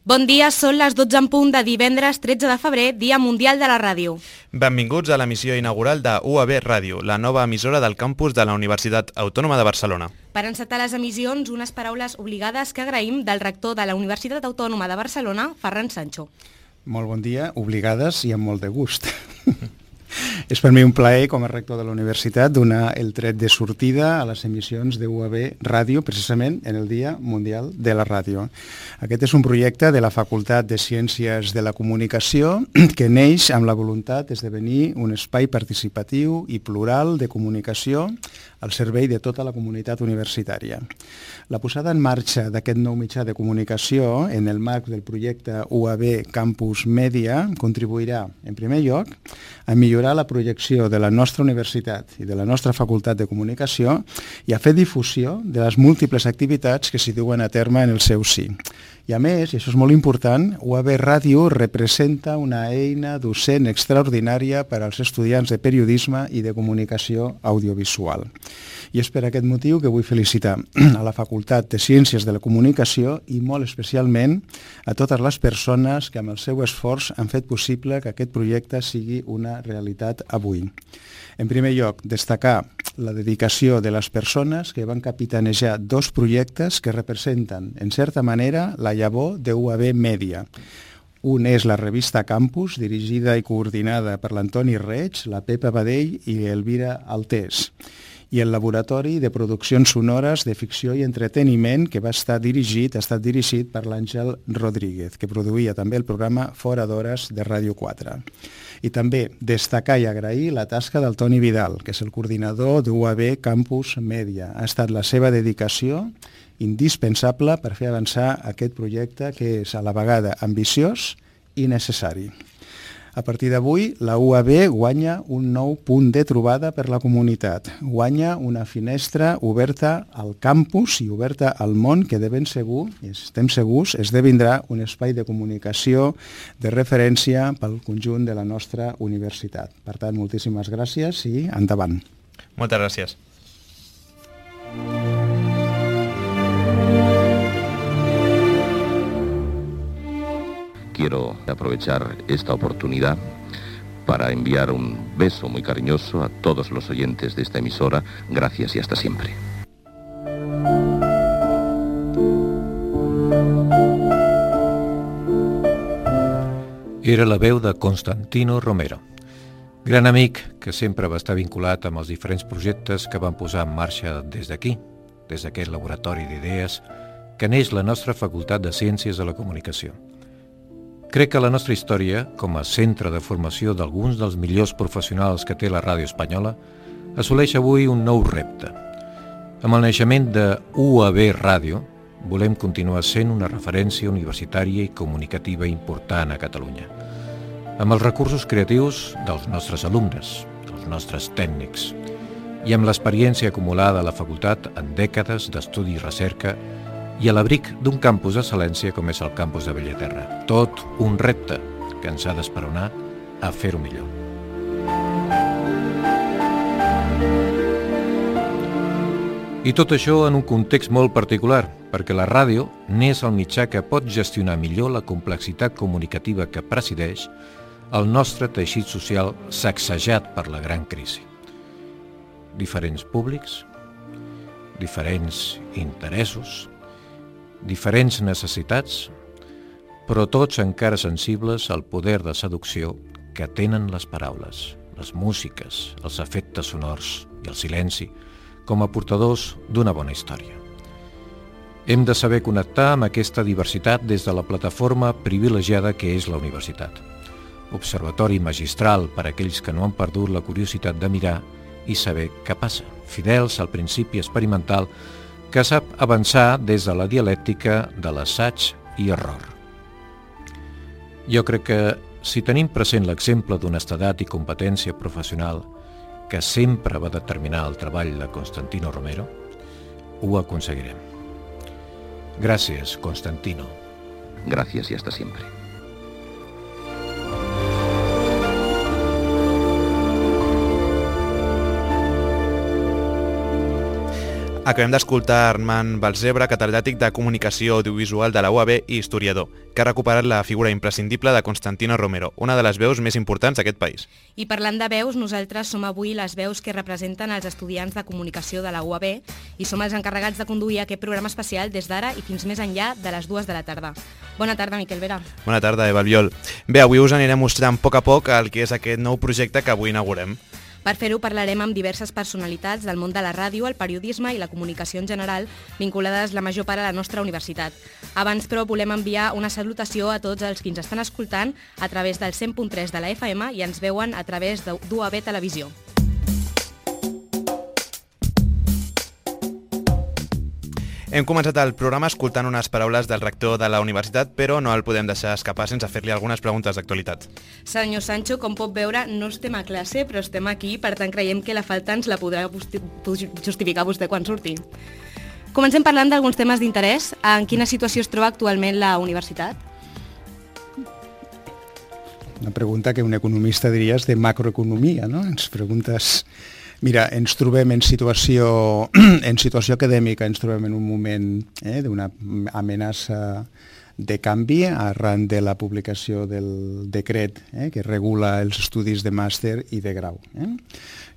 Bon dia, són les 12 en punt de divendres 13 de febrer, Dia Mundial de la Ràdio. Benvinguts a l'emissió inaugural de UAB Ràdio, la nova emissora del campus de la Universitat Autònoma de Barcelona. Per encetar les emissions, unes paraules obligades que agraïm del rector de la Universitat Autònoma de Barcelona, Ferran Sancho. Molt bon dia, obligades i amb molt de gust. És per mi un plaer, com a rector de la universitat, donar el tret de sortida a les emissions de UAB Ràdio, precisament en el Dia Mundial de la Ràdio. Aquest és un projecte de la Facultat de Ciències de la Comunicació que neix amb la voluntat d'esdevenir un espai participatiu i plural de comunicació al servei de tota la comunitat universitària. La posada en marxa d'aquest nou mitjà de comunicació en el marc del projecte UAB Campus Mèdia contribuirà, en primer lloc, a millorar la projecció de la nostra universitat i de la nostra facultat de comunicació i a fer difusió de les múltiples activitats que s'hi duen a terme en el seu si. I a més, i això és molt important, UAB Ràdio representa una eina docent extraordinària per als estudiants de periodisme i de comunicació audiovisual. I és per aquest motiu que vull felicitar a la Facultat de Ciències de la Comunicació i molt especialment a totes les persones que amb el seu esforç han fet possible que aquest projecte sigui una realitat avui. En primer lloc, destacar la dedicació de les persones que van capitanejar dos projectes que representen, en certa manera, la llavor de UAB Mèdia. Un és la revista Campus, dirigida i coordinada per l'Antoni Reig, la Pepa Badell i l'Elvira Altés, i el Laboratori de Produccions Sonores de Ficció i Entreteniment, que ha estat dirigit per l'Àngel Rodríguez, que produïa també el programa Fora d'Hores de Ràdio 4. I també destacar i agrair la tasca del Toni Vidal, que és el coordinador d'UAB Campus Mèdia. Ha estat la seva dedicació indispensable per fer avançar aquest projecte que és a la vegada ambiciós i necessari. A partir d'avui, la UAB guanya un nou punt de trobada per la comunitat. Guanya una finestra oberta al campus i oberta al món que de ben segur, i estem segurs, esdevindrà un espai de comunicació de referència pel conjunt de la nostra universitat. Per tant, moltíssimes gràcies i endavant. Moltes gràcies. Quiero aprovechar esta oportunidad para enviar un beso muy cariñoso a todos los oyentes de esta emisora. Gracias y hasta siempre. Era la veu de Constantino Romero, gran amic que sempre va estar vinculat amb els diferents projectes que van posar en marxa des d'aquí, des d'aquest laboratori d'idees que neix la nostra Facultat de Ciències de la Comunicació. Crec que la nostra història, com a centre de formació d'alguns dels millors professionals que té la ràdio espanyola, assoleix avui un nou repte. Amb el naixement de UAB Ràdio, volem continuar sent una referència universitària i comunicativa important a Catalunya, amb els recursos creatius dels nostres alumnes, dels nostres tècnics, i amb l'experiència acumulada a la facultat en dècades d'estudi i recerca i a l'abric d'un campus d'excel·lència com és el campus de Bellaterra. Tot un repte que ens ha d'esperonar a fer-ho millor. I tot això en un context molt particular, perquè la ràdio n'és el mitjà que pot gestionar millor la complexitat comunicativa que presideix el nostre teixit social sacsejat per la gran crisi. Diferents públics, diferents interessos, diferents necessitats, però tots encara sensibles al poder de seducció que tenen les paraules, les músiques, els efectes sonors i el silenci com a portadors d'una bona història. Hem de saber connectar amb aquesta diversitat des de la plataforma privilegiada que és la universitat. Observatori magistral per a aquells que no han perdut la curiositat de mirar i saber què passa, fidels al principi experimental que sap avançar des de la dialèctica de l'assaig i error. Jo crec que si tenim present l'exemple d'honestedat i competència professional que sempre va determinar el treball de Constantino Romero, ho aconseguirem. Gràcies, Constantino. Gracias y hasta siempre. Acabem d'escoltar Armand Balzebre, catedràtic de Comunicació Audiovisual de la UAB i historiador, que ha recuperat la figura imprescindible de Constantino Romero, una de les veus més importants d'aquest país. I parlant de veus, nosaltres som avui les veus que representen els estudiants de comunicació de la UAB i som els encarregats de conduir aquest programa especial des d'ara i fins més enllà de les 2 de la tarda. Bona tarda, Miquel Vera. Bona tarda, Eva Albiol. Bé, avui us anirem mostrant a poc el que és aquest nou projecte que avui inaugurem. Per fer-ho parlarem amb diverses personalitats del món de la ràdio, el periodisme i la comunicació en general, vinculades la major part a la nostra universitat. Abans, però, volem enviar una salutació a tots els que ens estan escoltant a través del 100.3 de la FM i ens veuen a través d'UAB Televisió. Hem començat el programa escoltant unes paraules del rector de la universitat, però no el podem deixar escapar sense fer-li algunes preguntes d'actualitat. Senyor Sancho, com pot veure, no estem a classe, però estem aquí, per tant creiem que la falta ens la podrà justificar vostè quan surti. Comencem parlant d'alguns temes d'interès. En quina situació es troba actualment la universitat? Una pregunta que un economista diria és de macroeconomia, no? Ens preguntes... Mira, ens trobem en situació acadèmica, ens trobem en un moment d'una amenaça de canvi arran de la publicació del decret que regula els estudis de màster i de grau.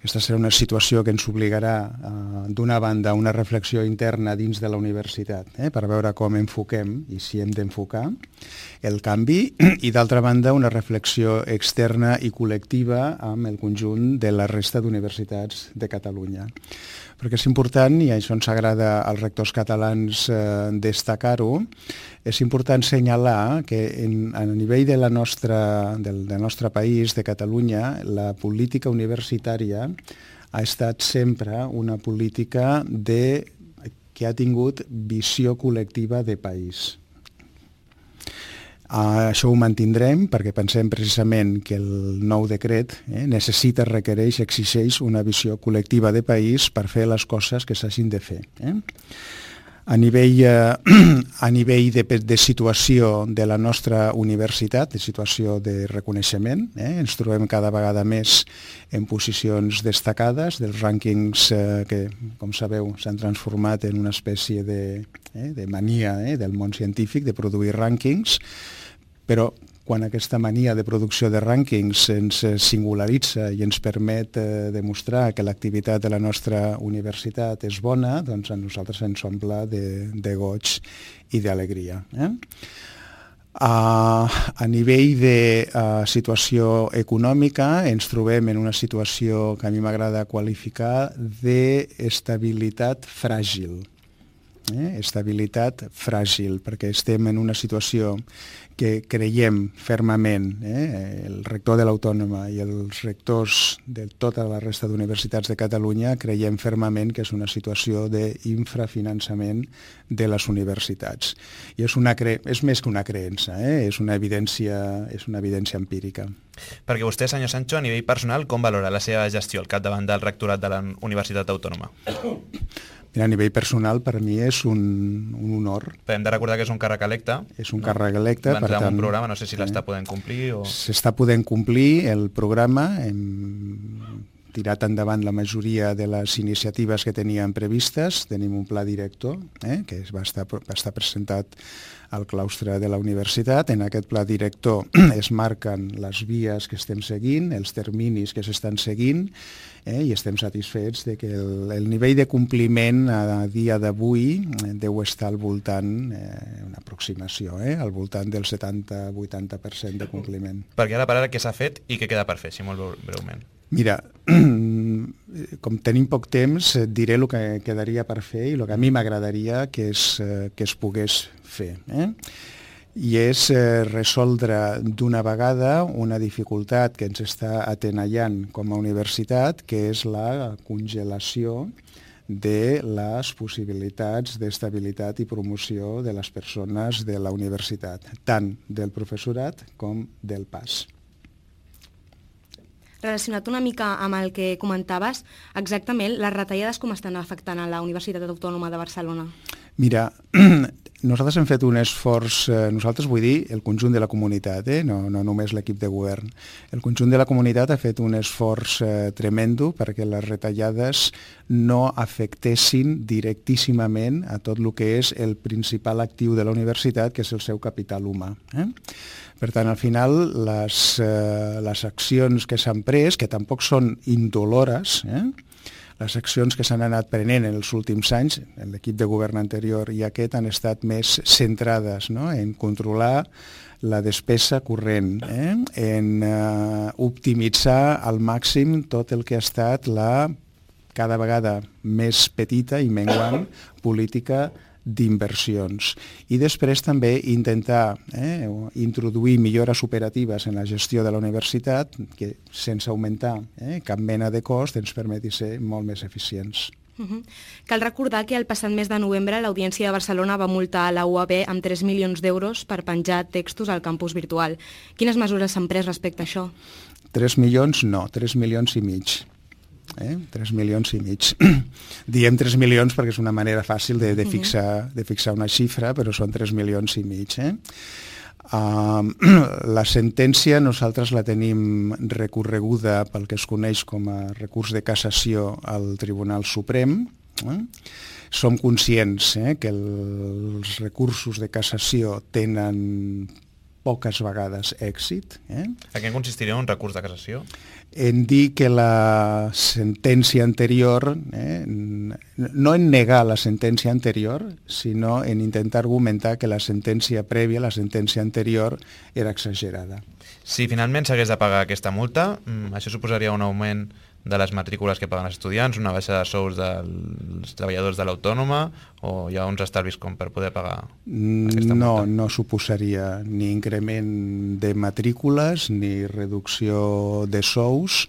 Aquesta serà una situació que ens obligarà, d'una banda, a una reflexió interna dins de la universitat per veure com enfoquem i si hem d'enfocar el canvi i, d'altra banda, una reflexió externa i col·lectiva amb el conjunt de la resta d'universitats de Catalunya. Perquè és important, i això ens agrada als rectors catalans destacar-ho, és important assenyalar que a nivell del nostre país, de Catalunya, la política universitària ha estat sempre una política que ha tingut visió col·lectiva de país. Això ho mantindrem perquè pensem precisament que el nou decret necessita, requereix, exigeix una visió col·lectiva de país per fer les coses que s'hagin de fer. A nivell de situació de la nostra universitat, de situació de reconeixement, ens trobem cada vegada més en posicions destacades dels rànquings que, com sabeu, s'han transformat en una espècie de mania del món científic de produir rànquings, però quan aquesta mania de producció de rànquings ens singularitza i ens permet demostrar que l'activitat de la nostra universitat és bona, doncs a nosaltres ens omple de goig i d'alegria. A nivell de situació econòmica ens trobem en una situació que a mi m'agrada qualificar d'estabilitat fràgil. Estabilitat fràgil, perquè estem en una situació que creiem fermament, el rector de l'Autònoma i els rectors de tota la resta d'universitats de Catalunya creiem fermament que és una situació d'infrafinançament de les universitats. I és més que una creença, és una evidència empírica. Perquè vostè, senyor Sancho, a nivell personal, com valora la seva gestió al capdavant del rectorat de la Universitat Autònoma? A nivell personal, per mi és un honor. Però hem de recordar que és un càrrec electe. És un càrrec electe, per tant... un programa, no sé si l'està podent complir o... S'està podent complir el programa, hem tirat endavant la majoria de les iniciatives que teníem previstes, tenim un pla director que va estar presentat al claustre de la universitat. En aquest pla director es marquen les vies que estem seguint, els terminis que s'estan seguint, i estem satisfets de que el nivell de compliment a dia d'avui deu estar al voltant, una aproximació, al voltant del 70-80% de compliment. Perquè ara per ara què s'ha fet i què queda per fer, si molt breument? Mira, com tenim poc temps, et diré el que quedaria per fer i el que a mi m'agradaria que es pogués fer. I és resoldre d'una vegada una dificultat que ens està atenallant com a universitat, que és la congelació de les possibilitats d'estabilitat i promoció de les persones de la universitat, tant del professorat com del PAS. Relacionat una mica amb el que comentaves, exactament les retallades com estan afectant a la Universitat Autònoma de Barcelona? Mira, nosaltres hem fet un esforç, nosaltres vull dir el conjunt de la comunitat, no només l'equip de govern. El conjunt de la comunitat ha fet un esforç tremendo perquè les retallades no afectessin directíssimament a tot el que és el principal actiu de la universitat, que és el seu capital humà. Per tant, al final, les accions que s'han pres, que tampoc són indolores, les accions que s'han anat prenent en els últims anys, en l'equip de govern anterior i aquest, han estat més centrades en controlar la despesa corrent, en optimitzar al màxim tot el que ha estat la cada vegada més petita i menguant política d'inversions. I després també intentar introduir millores operatives en la gestió de la universitat que, sense augmentar cap mena de cost, ens permeti ser molt més eficients. Cal recordar que el passat mes de novembre l'Audiència de Barcelona va multar a la UAB amb 3 milions d'euros per penjar textos al campus virtual. Quines mesures s'han pres respecte a això? 3 milions no, 3 milions i mig. 3 milions i mig. Diem 3 milions perquè és una manera fàcil de fixar una xifra, però són 3 milions i mig. La sentència nosaltres la tenim recorreguda pel que es coneix com a recurs de cassació al Tribunal Suprem. Som conscients que els recursos de cassació tenen poques vegades èxit. A què consistiria un recurs de cassació? En dir que la sentència anterior, no en negar la sentència anterior, sinó en intentar argumentar que la sentència prèvia, la sentència anterior, era exagerada. Si finalment s'hagués de pagar aquesta multa, això suposaria un augment de les matrícules que paguen els estudiants, una baixa de sous dels treballadors de l'Autònoma, o hi ha uns estalvis com per poder pagar aquesta multa? No suposaria ni increment de matrícules ni reducció de sous.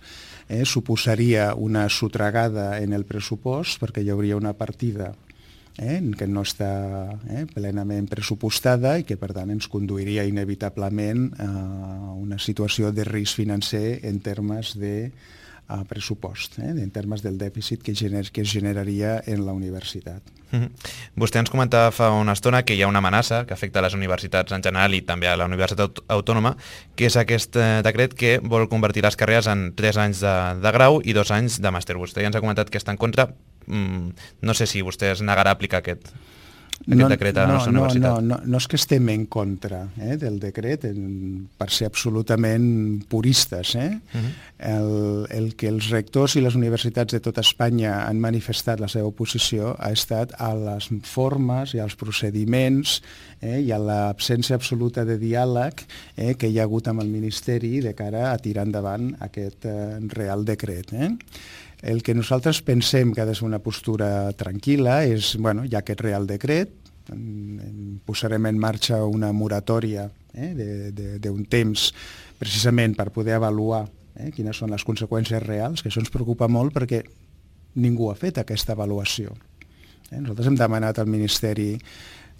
Suposaria una sotragada en el pressupost perquè hi hauria una partida que no està plenament pressupostada i que per tant ens conduiria inevitablement a una situació de risc financer en termes de pressupost, en termes del dèficit que es generaria en la universitat. Vostè ens comentava fa una estona que hi ha una amenaça que afecta a les universitats en general i també a la Universitat Autònoma, que és aquest decret que vol convertir les carreres en 3 anys de grau i 2 anys de màster. Vostè ja ens ha comentat que està en contra. No sé si vostè es negarà a aplicar aquest decret a la nostra universitat. No és que estem en contra del decret, per ser absolutament puristes. El que els rectors i les universitats de tota Espanya han manifestat la seva oposició ha estat a les formes i als procediments i a l'absència absoluta de diàleg que hi ha hagut amb el Ministeri de cara a tirar endavant aquest Real Decret. El que nosaltres pensem que ha de ser una postura tranquil·la és, hi ha aquest Real Decret, posarem en marxa una moratòria d'un temps precisament per poder avaluar quines són les conseqüències reals, que això ens preocupa molt perquè ningú ha fet aquesta avaluació. Nosaltres hem demanat al Ministeri,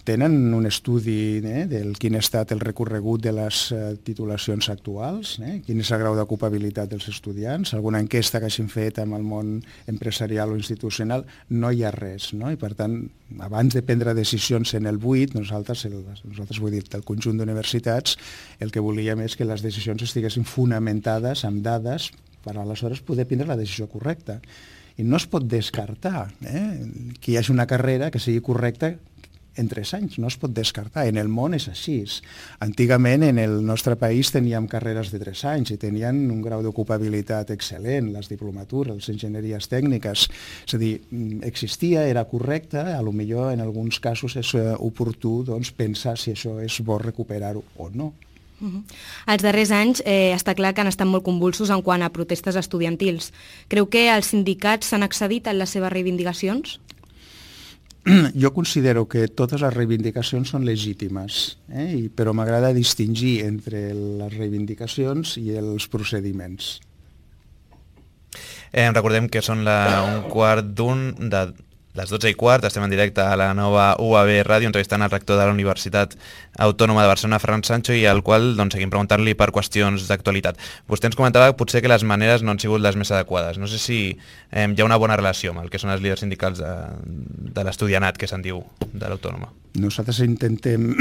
tenen un estudi del quin ha estat el recorregut de les titulacions actuals, quin és el grau d'ocupabilitat dels estudiants, alguna enquesta que hagin fet amb el món empresarial o institucional, no hi ha res. I per tant, abans de prendre decisions en el buit, nosaltres vull dir, del conjunt d'universitats, el que volíem és que les decisions estiguessin fonamentades amb dades per aleshores poder prendre la decisió correcta. I no es pot descartar que hi hagi una carrera que sigui correcta en 3 anys, no es pot descartar. En el món és així. Antigament en el nostre país teníem carreres de 3 anys i tenien un grau d'ocupabilitat excel·lent, les diplomatures, les enginyeries tècniques. És a dir, existia, era correcte, potser en alguns casos és oportú pensar si això és bo recuperar-ho o no. Els darrers anys està clar que han estat molt convulsos en quant a protestes estudiantils. Creu que els sindicats s'han excedit en les seves reivindicacions? Jo considero que totes les reivindicacions són legítimes, però m'agrada distingir entre les reivindicacions i els procediments. Recordem que són un quart d'un de les 12:15, estem en directe a la nova UAB Ràdio, entrevistant el rector de la Universitat Autònoma de Barcelona, Ferran Sancho, i al qual seguim preguntant-li per qüestions d'actualitat. Vostè ens comentava que potser que les maneres no han sigut les més adequades. No sé si hi ha una bona relació amb el que són els líders sindicals de l'estudianat, que se'n diu, de l'Autònoma. Nosaltres intentem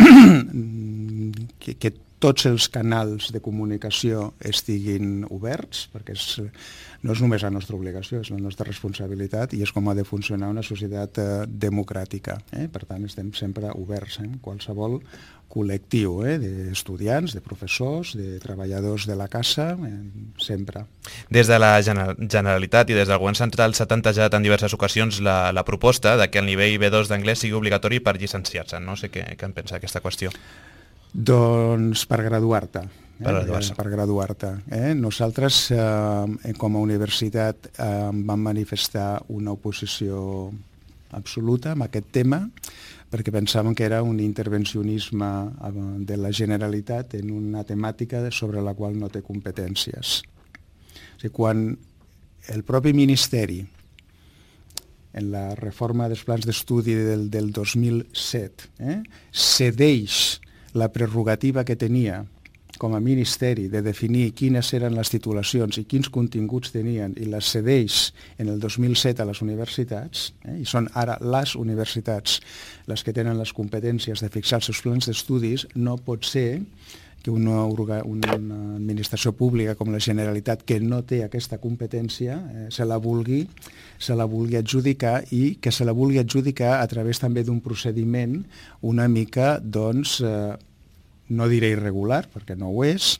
que tots els canals de comunicació estiguin oberts, perquè no és només la nostra obligació, és la nostra responsabilitat i és com ha de funcionar una societat democràtica. Per tant, estem sempre oberts, qualsevol col·lectiu, d'estudiants, de professors, de treballadors de la casa, sempre. Des de la Generalitat i des del Govern Central s'ha tantejat en diverses ocasions la proposta de que el nivell B2 d'anglès sigui obligatori per llicenciar-se. No sé què en pensa d'aquesta qüestió. Doncs per graduar-te. Per graduar-te. Nosaltres, com a universitat, vam manifestar una oposició absoluta amb aquest tema, perquè pensàvem que era un intervencionisme de la Generalitat en una temàtica sobre la qual no té competències. O sigui, quan el propi Ministeri, en la reforma dels plans d'estudi del 2007, cedeix la prerrogativa que tenia com a Ministeri de definir quines eren les titulacions i quins continguts tenien i les cedeix en el 2007 a les universitats, i són ara les universitats les que tenen les competències de fixar els seus plans d'estudis, no pot ser que una administració pública com la Generalitat, que no té aquesta competència, se la vulgui adjudicar, i que se la vulgui adjudicar a través també d'un procediment una mica, doncs, no diré irregular, perquè no ho és,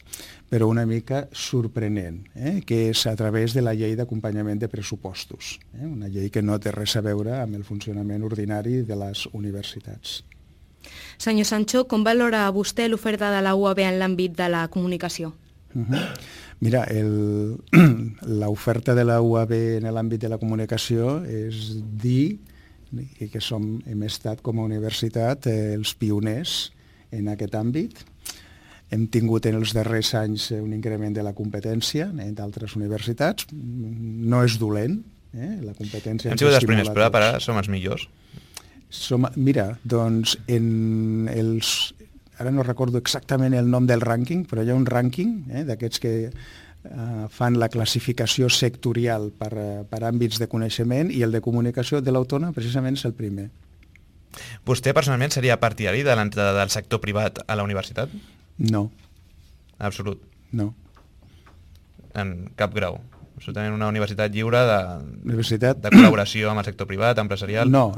però una mica sorprenent, que és a través de la llei d'acompanyament de pressupostos, una llei que no té res a veure amb el funcionament ordinari de les universitats. Senyor Sancho, com valora vostè l'oferta de la UAB en l'àmbit de la comunicació? Mira, l'oferta de la UAB en l'àmbit de la comunicació és dir que hem estat com a universitat els pioners en aquest àmbit. Hem tingut en els darrers anys un increment de la competència d'altres universitats. No és dolent, la competència... Hem sigut els primers, però ara som els millors. Mira, doncs, ara no recordo exactament el nom del rànquing, però hi ha un rànquing d'aquests que fan la classificació sectorial per àmbits de coneixement, i el de comunicació de l'Autònoma precisament és el primer. Vostè personalment seria partidari de l'entrada del sector privat a la universitat? No. Absolut? No. En cap grau? Absolutament una universitat lliure de col·laboració amb el sector privat, empresarial? No,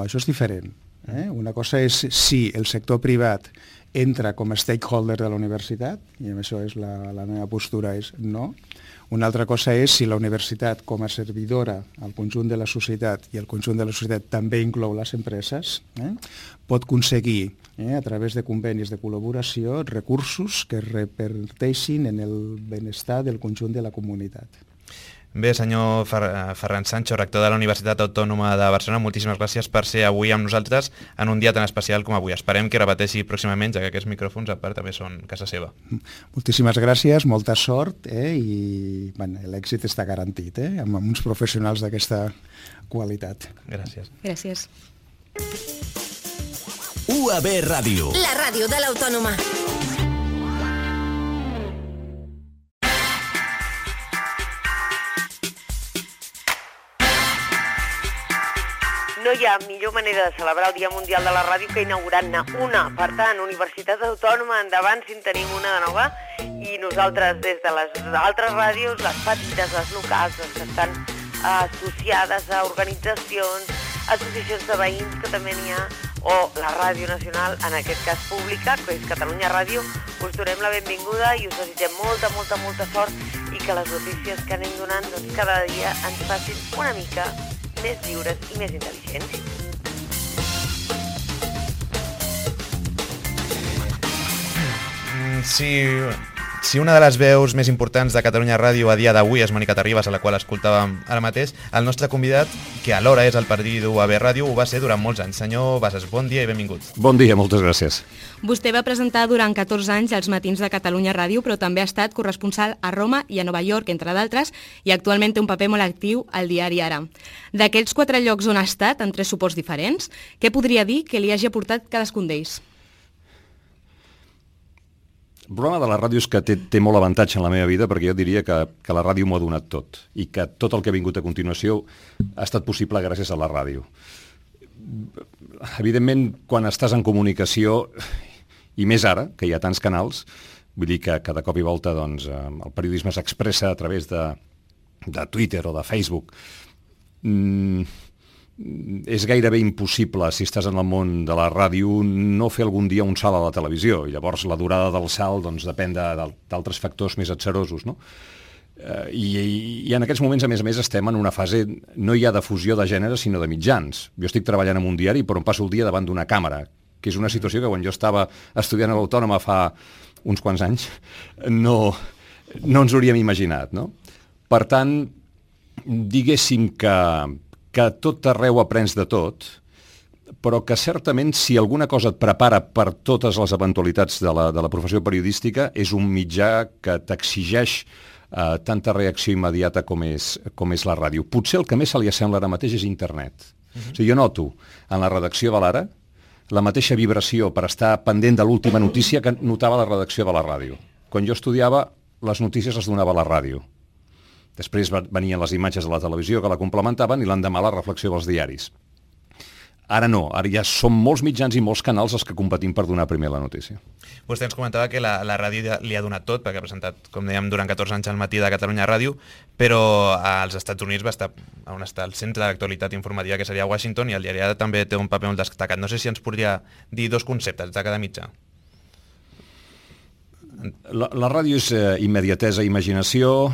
això és diferent. Una cosa és si el sector privat entra com a stakeholder de la universitat, i amb això és la meva postura és no. Una altra cosa és si la universitat, com a servidora al conjunt de la societat, i el conjunt de la societat també inclou les empreses, pot aconseguir, a través de convenis de col·laboració, recursos que reperteixin en el benestar del conjunt de la comunitat. Bé, senyor Ferran Sancho, rector de la Universitat Autònoma de Barcelona, moltíssimes gràcies per ser avui amb nosaltres en un dia tan especial com avui. Esperem que repeteixi pròximament, ja que aquests micròfons a part també són casa seva. Moltíssimes gràcies, molta sort, i l'èxit està garantit, amb uns professionals d'aquesta qualitat. Gràcies. Gràcies. UAB Ràdio. La ràdio de l'Autònoma. No hi ha millor manera de celebrar el Dia Mundial de la Ràdio que inaugurant-ne una. Per tant, Universitat Autònoma, endavant si en tenim una de nova, i nosaltres des de les altres ràdios, les petites, les locals, les que estan associades a organitzacions, associacions de veïns que també n'hi ha, o la Ràdio Nacional, en aquest cas pública, que és Catalunya Ràdio, us donem la benvinguda i us desitgem molta sort, i que les notícies que anem donant cada dia ens facin una mica més lliures i més intel·ligents. Sí, Si una de les veus més importants de Catalunya Ràdio a dia d'avui és Mònica Terribas, a la qual escoltàvem ara mateix, el nostre convidat, que alhora és el periodista d'UAB Ràdio, ho va ser durant molts anys. Senyor Bassas, bon dia i benvingut. Bon dia, moltes gràcies. Vostè va presentar durant 14 anys els matins de Catalunya Ràdio, però també ha estat corresponsal a Roma i a Nova York, entre d'altres, i actualment té un paper molt actiu al diari Ara. D'aquests 4 llocs on ha estat, en 3 suports diferents, què podria dir que li hagi aportat cadascun d'ells? El problema de la ràdio és que té molt avantatge en la meva vida, perquè jo diria que la ràdio m'ho ha donat tot i que tot el que ha vingut a continuació ha estat possible gràcies a la ràdio. Evidentment, quan estàs en comunicació, i més ara, que hi ha tants canals, vull dir que de cop i volta doncs, el periodisme s'expressa a través de Twitter o de Facebook. És gairebé impossible, si estàs en el món de la ràdio, no fer algun dia un salt a la televisió. I llavors la durada del salt doncs, depèn d'altres factors més atzerosos, no? I en aquests moments, a més, estem en una fase no ja de fusió de gènere, sinó de mitjans. Jo estic treballant en un diari, però em passo el dia davant d'una càmera, que és una situació que quan jo estava estudiant a l'Autònoma fa uns quants anys, no ens hauríem imaginat, no? Per tant, diguéssim que tot arreu aprens de tot, però que certament si alguna cosa et prepara per totes les eventualitats de la professió periodística és un mitjà que t'exigeix tanta reacció immediata com és la ràdio. Potser el que més se li assembla ara mateix és internet. O sigui, jo noto en la redacció de l'Ara la mateixa vibració per estar pendent de l'última notícia que notava la redacció de la ràdio. Quan jo estudiava, les notícies les donava a la ràdio. Després venien les imatges de la televisió que la complementaven i l'endemà la reflexió dels diaris. Ara no, ara ja són molts mitjans i molts canals els que competim per donar primer la notícia. Vostè ens comentava que la ràdio li ha donat tot, perquè ha presentat, com dèiem, durant 14 anys al matí de Catalunya Ràdio, però als Estats Units va estar on està el centre d'actualitat informativa, que seria Washington, i el diari Ara també té un paper molt destacat. No sé si ens podria dir 2 conceptes de cada mitjà. La ràdio és immediatesa, imaginació,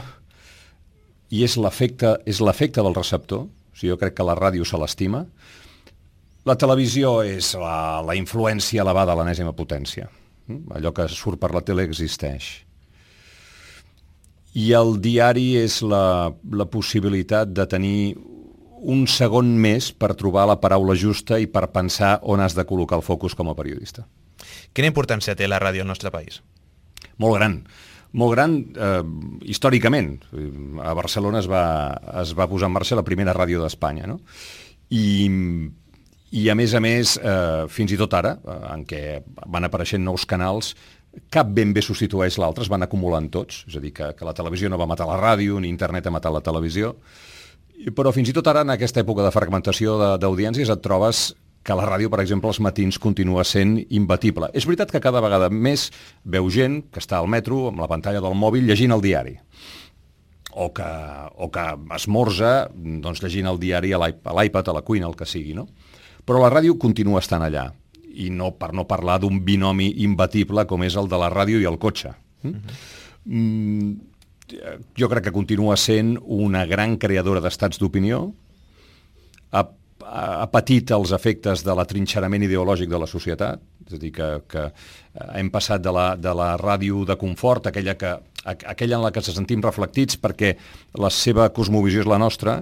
i és l'efecte del receptor. O sigui, jo crec que la ràdio se l'estima. La televisió és la influència elevada a l'enèsima potència. Allò que surt per la tele existeix. I el diari és la possibilitat de tenir un segon més per trobar la paraula justa i per pensar on has de col·locar el focus com a periodista. Quina importància té la ràdio al nostre país? Molt gran. Molt gran històricament. A Barcelona es va posar en marxa la primera ràdio d'Espanya, no? I a més, fins i tot ara, en què van apareixent nous canals, cap ben bé substitueix l'altre, es van acumulant tots. És a dir, que la televisió no va matar la ràdio, ni internet ha matat la televisió. Però fins i tot ara, en aquesta època de fragmentació d'audiències, et trobes que la ràdio, per exemple, als matins continua sent imbatible. És veritat que cada vegada més veu gent que està al metro, amb la pantalla del mòbil, llegint el diari. O que esmorza doncs, llegint el diari a l'iPad, a la cuina, el que sigui, no? Però la ràdio continua estant allà. I per no parlar d'un binomi imbatible com és el de la ràdio i el cotxe. Jo crec que continua sent una gran creadora d'estats d'opinió, ha patit els efectes de l'atrinxerament ideològic de la societat, és a dir, que hem passat de la ràdio de confort, aquella en la que ens sentim reflectits perquè la seva cosmovisió és la nostra,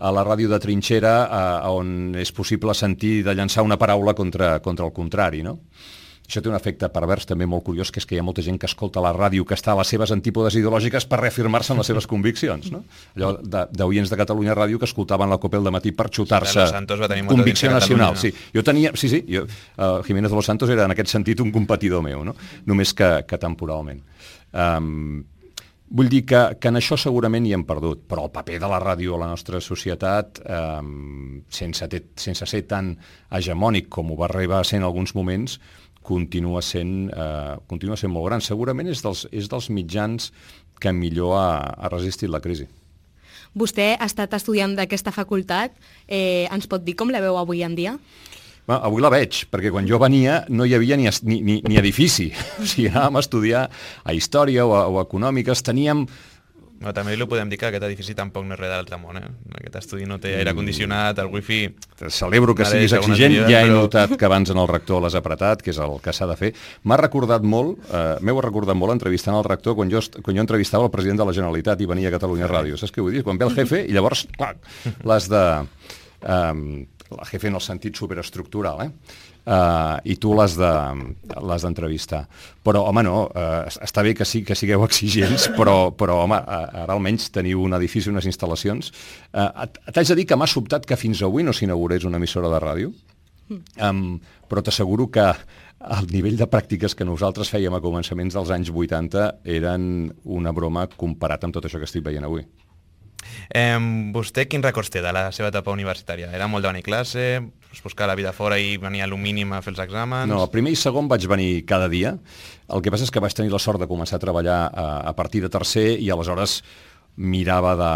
a la ràdio de trinxera on és possible sentir de llançar una paraula contra el contrari, no? Això té un efecte pervers també molt curiós, que és que hi ha molta gent que escolta la ràdio que està a les seves antípodes ideològiques per reafirmar-se en les seves conviccions, no? Allò d'oients de Catalunya Ràdio que escoltaven la COPE al dematí per xutar-se convicció nacional. Sí, jo tenia... Jiménez de los Santos era en aquest sentit un competidor meu, no? Només que temporalment. Vull dir que en això segurament hi hem perdut, però el paper de la ràdio a la nostra societat, sense ser tan hegemònic com ho va arribar a ser en alguns moments, continua sent molt gran. Segurament és dels mitjans que millor ha resistit la crisi. Vostè ha estat estudiant d'aquesta facultat. Ens pot dir com la veu avui en dia? Avui la veig, perquè quan jo venia no hi havia ni edifici. O sigui, anàvem a estudiar a història o a econòmiques. Teníem Però també li podem dir que aquest edifici tampoc no és res de l'altre món, Aquest estudi no té aire condicionat, el wifi... Celebro que siguis exigent, ja he notat que abans en el rector l'has apretat, que és el que s'ha de fer. M'ha recordat molt, m'heu recordat molt entrevistant el rector quan jo entrevistava el president de la Generalitat i venia a Catalunya Ràdio. Saps què vull dir? Quan ve el jefe i llavors, clar, l'has de... la jefe en el sentit superestructural, i tu l'has d'entrevistar. Però, home, no, està bé que sigueu exigents, però home, ara almenys teniu un edifici, unes instal·lacions. T'haig de dir que m'ha sobtat que fins avui no s'inaugurés una emissora de ràdio, però t'asseguro que el nivell de pràctiques que nosaltres fèiem a començaments dels anys 80 eren una broma comparat amb tot això que estic veient avui. Vostè quins records té de la seva etapa universitària? Era molt de venir a classe, buscar la vida fora i venir a lo mínim a fer els exàmens? No, primer i segon vaig venir cada dia. El que passa és que vaig tenir la sort de començar a treballar a partir de tercer i aleshores mirava de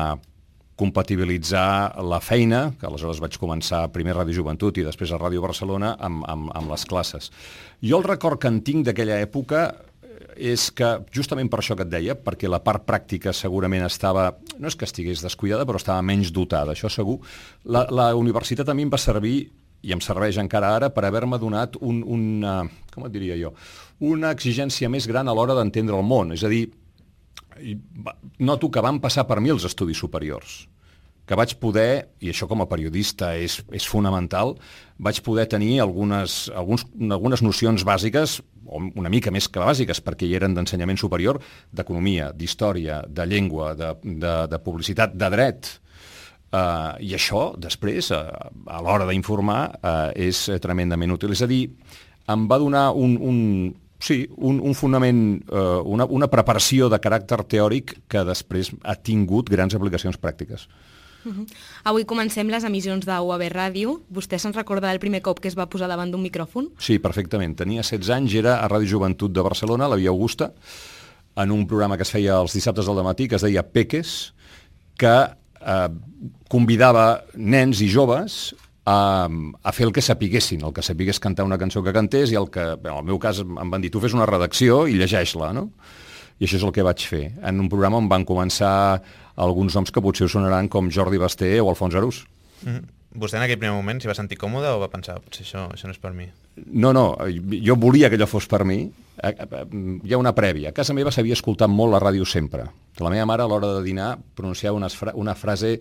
compatibilitzar la feina, que aleshores vaig començar primer a Ràdio Joventut i després a Ràdio Barcelona, amb les classes. Jo el record que en tinc d'aquella època és que, justament per això que et deia, perquè la part pràctica segurament estava, no és que estigués descuidada, però estava menys dotada, això segur. La universitat a mi em va servir, i em serveix encara ara, per haver-me donat com et diria jo, una exigència més gran a l'hora d'entendre el món. És a dir, noto que van passar per mi els estudis superiors, que vaig poder, i això com a periodista és fonamental, vaig poder tenir algunes nocions bàsiques, o una mica més que bàsiques, perquè hi eren d'ensenyament superior, d'economia, d'història, de llengua, de publicitat, de dret. I això, després, a l'hora d'informar, és tremendament útil. És a dir, em va donar un fonament, una preparació de caràcter teòric que després ha tingut grans aplicacions pràctiques. Avui comencem les emissions de UAB Ràdio. Vostè se'n recorda del primer cop que es va posar davant d'un micròfon? Sí, perfectament. Tenia 16 anys, era a Ràdio Joventut de Barcelona, a la Via Augusta, en un programa que es feia els dissabtes del dematí, que es deia Peques, que convidava nens i joves a fer el que sapiguessin, el que sapigués cantar una cançó que cantés i en el meu cas em van dir, tu fes una redacció i llegeix-la, no? I això és el que vaig fer, en un programa on van començar alguns noms que potser us sonaran com Jordi Basté o Alfons Arús. Vostè en aquell primer moment s'hi va sentir còmode o va pensar, potser això no és per mi? No, jo volia que allò fos per mi. Hi ha una prèvia. A casa meva s'havia escoltat molt la ràdio sempre. La meva mare a l'hora de dinar pronunciava una frase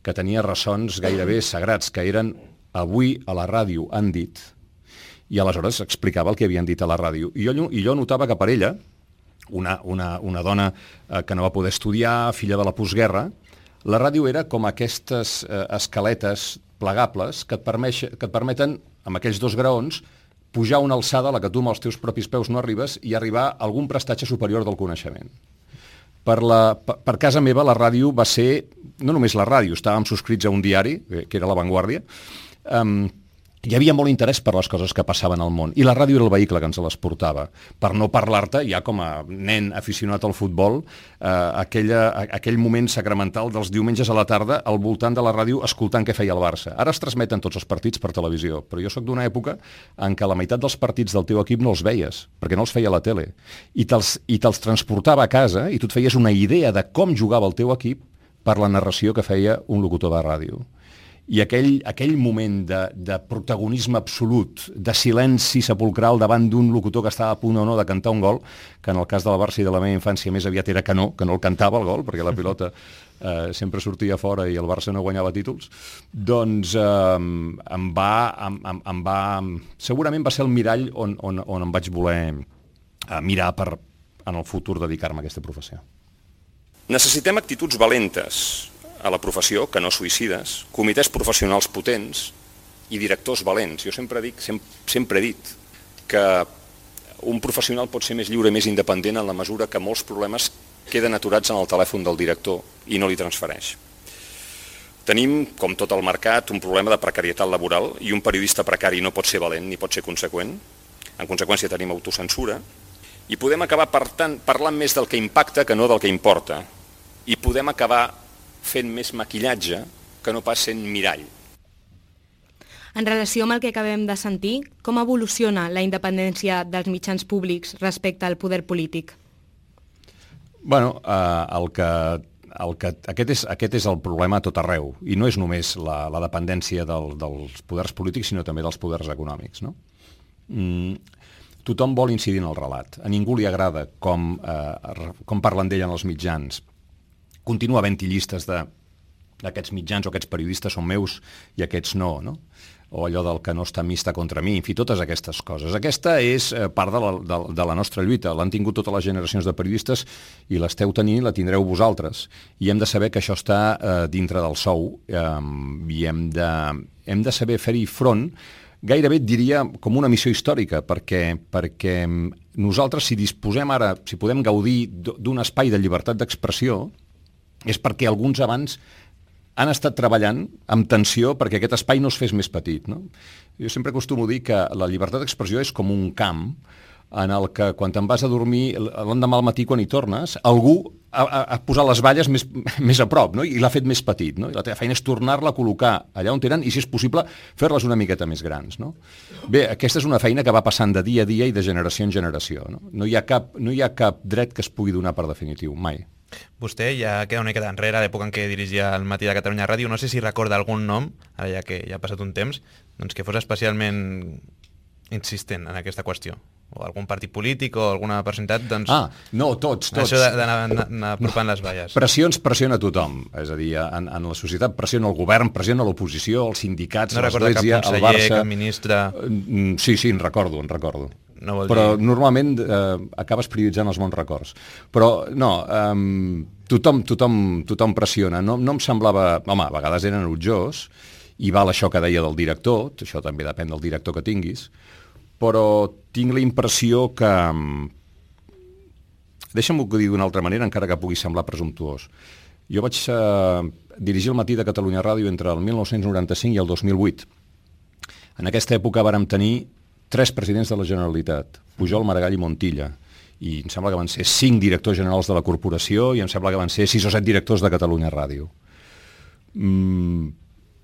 que tenia ressons gairebé sagrats, que eren avui a la ràdio han dit, i aleshores explicava el que havien dit a la ràdio. I jo notava que per ella, una dona que no va poder estudiar, filla de la postguerra, la ràdio era com aquestes escaletes plegables que et permeten, amb aquells 2 graons, pujar una alçada a la que tu amb els teus propis peus no arribes i arribar a algun prestatge superior del coneixement. Per casa meva la ràdio va ser, no només la ràdio, estàvem subscrits a un diari, que era La Vanguardia, hi havia molt interès per les coses que passaven al món, i la ràdio era el vehicle que ens les portava. Per no parlar-te, ja com a nen aficionat al futbol, aquell moment sacramental dels diumenges a la tarda al voltant de la ràdio escoltant què feia el Barça. Ara es transmeten tots els partits per televisió, però jo sóc d'una època en què la meitat dels partits del teu equip no els veies, perquè no els feia la tele, i te'ls transportava a casa i tu et feies una idea de com jugava el teu equip per la narració que feia un locutor de ràdio. I aquell moment de protagonisme absolut, de silenci sepulcral davant d'un locutor que estava a punt o no de cantar un gol, que en el cas del Barça i de la meva infància més aviat era que no el cantava el gol, perquè la pilota sempre sortia fora i el Barça no guanyava títols, doncs segurament va ser el mirall on em vaig voler mirar per, en el futur, dedicar-me a aquesta professió. Necessitem actituds valentes a la professió, que no suïcides, comitès professionals potents i directors valents. Jo sempre he dit que un professional pot ser més lliure i més independent en la mesura que molts problemes queden aturats en el telèfon del director i no li transfereix. Tenim, com tot el mercat, un problema de precarietat laboral i un periodista precari no pot ser valent ni pot ser conseqüent. En conseqüència tenim autocensura i podem acabar, per tant, parlant més del que impacta que no del que importa. I podem acabar fent més maquillatge que no pas sent mirall. En relació amb el que acabem de sentir, com evoluciona la independència dels mitjans públics respecte al poder polític? Bueno, el que aquest és el problema a tot arreu, i no és només la dependència dels poders polítics, sinó també dels poders econòmics, no? Tothom vol incidir en el relat. A ningú li agrada com parlen d'ell en els mitjans. Continua havent-hi llistes d'aquests mitjans o aquests periodistes són meus i aquests no, no? O allò del que no està mi està contra mi, en fi, totes aquestes coses. Aquesta és part de la nostra lluita. L'han tingut totes les generacions de periodistes i l'esteu tenint, la tindreu vosaltres. I hem de saber que això està dintre del sou i hem de saber fer-hi front. Gairebé et diria com una missió històrica, perquè nosaltres, si disposem ara, si podem gaudir d'un espai de llibertat d'expressió, és perquè alguns abans han estat treballant amb tensió perquè aquest espai no es fes més petit, no? Jo sempre acostumo a dir que la llibertat d'expressió és com un camp en el que quan te'n vas a dormir l'endemà al matí quan hi tornes, algú ha posat les valles més a prop, no? I l'ha fet més petit, no? I la teva feina és tornar-la a col·locar allà on eren i, si és possible, fer-les una miqueta més grans, no? Bé, aquesta és una feina que va passant de dia a dia i de generació en generació, no? No hi ha cap dret que es pugui donar per definitiu, mai. Vostè ja queda una miqueta enrere, a l'època en què dirigia el Matí de Catalunya Ràdio. No sé si recorda algun nom, ara ja que ja ha passat un temps, doncs que fos especialment insistent en aquesta qüestió. O algun partit polític o alguna personalitat, doncs... No, tots. Això d'anar apropant les valles. Pressions pressiona a tothom, és a dir, en la societat pressiona el govern, pressiona l'oposició, els sindicats, no recorda cap conseller, cap ministre... Sí, en recordo. No però normalment acabes prioritzant els bons records. Però no, tothom pressiona. No em semblava... Home, a vegades eren enutjós, i val això que deia del director, això també depèn del director que tinguis, però tinc la impressió que... Deixa'm-ho dir d'una altra manera, encara que pugui semblar presumptuós. Jo vaig dirigir el Matí de Catalunya Ràdio entre el 1995 i el 2008. En aquesta època vàrem tenir 3 presidents de la Generalitat, Pujol, Maragall i Montilla, i em sembla que van ser 5 directors generals de la corporació i em sembla que van ser 6 o 7 directors de Catalunya Ràdio.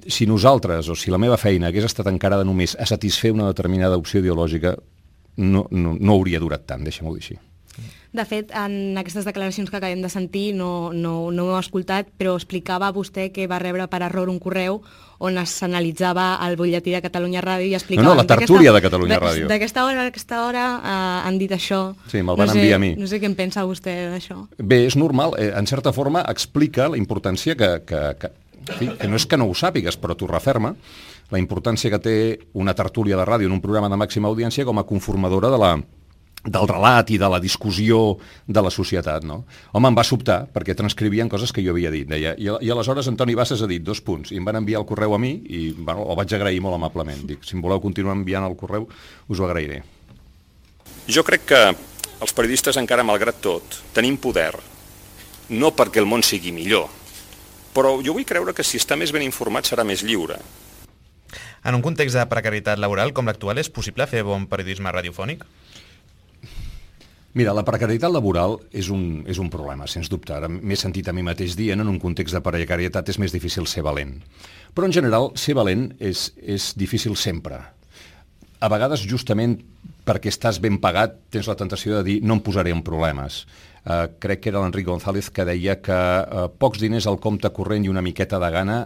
Si nosaltres, o si la meva feina hagués estat encarada només a satisfer una determinada opció ideològica, no hauria durat tant, deixa'm-ho dir així. De fet, en aquestes declaracions que acabem de sentir, no ho heu escoltat, però explicava vostè que va rebre per error un correu on s'analitzava el butlletí de Catalunya Ràdio i explicava... No, la tertúlia de Catalunya Ràdio. D'aquesta hora han dit això. Sí, me'l van enviar a mi. No sé què en pensa vostè d'això. Bé, és normal. En certa forma explica la importància que no és que no ho sàpigues, però t'ho referma, la importància que té una tertúlia de ràdio en un programa de màxima audiència com a conformadora del relat i de la discussió de la societat, no? Home, em va sobtar, perquè transcrivien coses que jo havia dit. Deia, i aleshores Antoni Bassas ha dit 2 punts, i em van enviar el correu a mi, i bueno, el vaig agrair molt amablement. Dic, si em voleu continuar enviant el correu, us ho agrairé. Jo crec que els periodistes, encara malgrat tot, tenim poder, no perquè el món sigui millor, però jo vull creure que si està més ben informat serà més lliure. En un context de precarietat laboral com l'actual, és possible fer bon periodisme radiofònic? Mira, la precarietat laboral és un problema, sens dubte. Ara m'he sentit a mi mateix dient, en un context de precarietat és més difícil ser valent. Però en general, ser valent és difícil sempre. A vegades, justament perquè estàs ben pagat, tens la tentació de dir no em posaré en problemes. Crec que era l'Enric González que deia que pocs diners al compte corrent i una miqueta de gana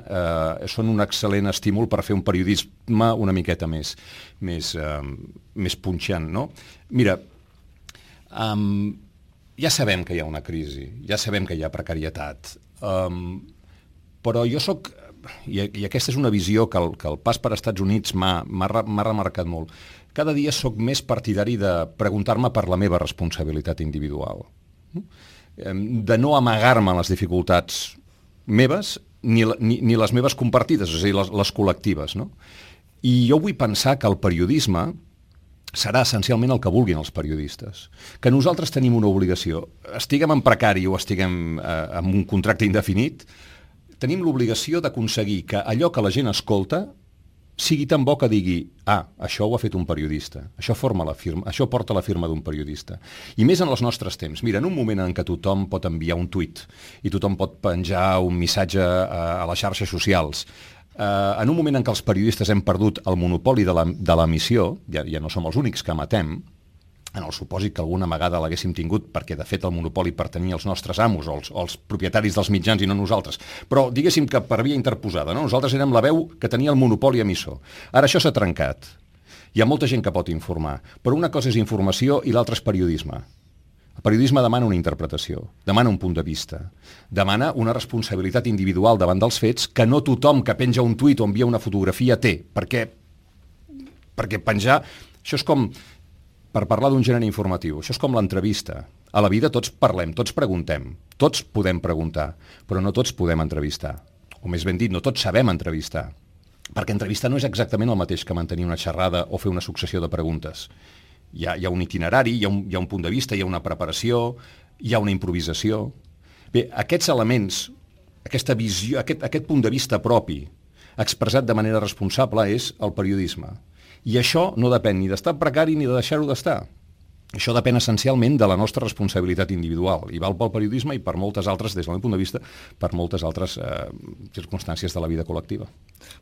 són un excel·lent estímul per fer un periodisme una miqueta més punxant, no? Mira, ja sabem que hi ha una crisi, ja sabem que hi ha precarietat, però jo soc, i aquesta és una visió que el pas per Estats Units m'ha remarcat molt, cada dia soc més partidari de preguntar-me per la meva responsabilitat individual, de no amagar-me les dificultats meves ni les meves compartides, és a dir, les col·lectives, no? I jo vull pensar que el periodisme serà essencialment el que vulguin els periodistes. Que nosaltres tenim una obligació. Estiguem en precari o estiguem amb un contracte indefinit, tenim l'obligació d'aconseguir que allò que la gent escolta sigui tan bo que digui això ho ha fet un periodista, això porta la firma d'un periodista. I més en els nostres temps. Mira, en un moment en què tothom pot enviar un tuit i tothom pot penjar un missatge a les xarxes socials, en un moment en què els periodistes hem perdut el monopoli de l'emissió, ja no som els únics que emetem, en el supòsit que alguna vegada l'haguéssim tingut, perquè de fet el monopoli pertanyia als nostres amos o als propietaris dels mitjans i no nosaltres, però diguéssim que per via interposada, no? Nosaltres érem la veu que tenia el monopoli emissor. Ara això s'ha trencat. Hi ha molta gent que pot informar, però una cosa és informació i l'altra és periodisme. El periodisme demana una interpretació, demana un punt de vista, demana una responsabilitat individual davant dels fets que no tothom que penja un tuit o envia una fotografia té, perquè penjar... Això és com, per parlar d'un gènere informatiu, això és com l'entrevista. A la vida tots parlem, tots preguntem, tots podem preguntar, però no tots podem entrevistar. O més ben dit, no tots sabem entrevistar. Perquè entrevistar no és exactament el mateix que mantenir una xerrada o fer una successió de preguntes. Hi ha un itinerari, hi ha un punt de vista, hi ha una preparació, hi ha una improvisació. Bé, aquests elements, aquesta visió, aquest punt de vista propi, expressat de manera responsable, és el periodisme. I això no depèn ni d'estar precari ni de deixar-ho d'estar. Això depèn essencialment de la nostra responsabilitat individual, i val pel periodisme i per moltes altres, des del meu punt de vista, per moltes altres circumstàncies de la vida col·lectiva.